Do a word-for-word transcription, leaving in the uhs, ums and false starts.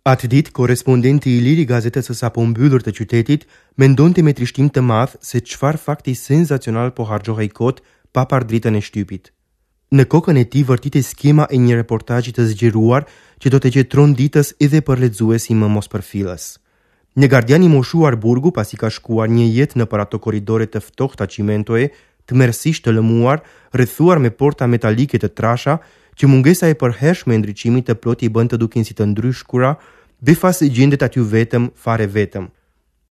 Atë ditë, korrespondenti i lirë i gazetës së sapo mbyllur të qytetit mendonte me trishtim të madh se çfarë fakti senzacional po harxhohej kot pa parë dritën e shtypit. Në kokën e tij vërtitej skema e një reportazhi të zgjeruar që do të qe tronditës edhe për lexuesin më mospërfillës. Një gardian i moshuar burgu, pasi ka shkuar një jetë nëpër ato korridore të ftohta çimentoje, tmerrësisht të lëmuar, rrethuar me porta metalike të trasha, që mungesa e përhershme e ndriçimit të plotë i bën të duken si të ndryshkura, befas gjendet aty vetëm, fare vetëm.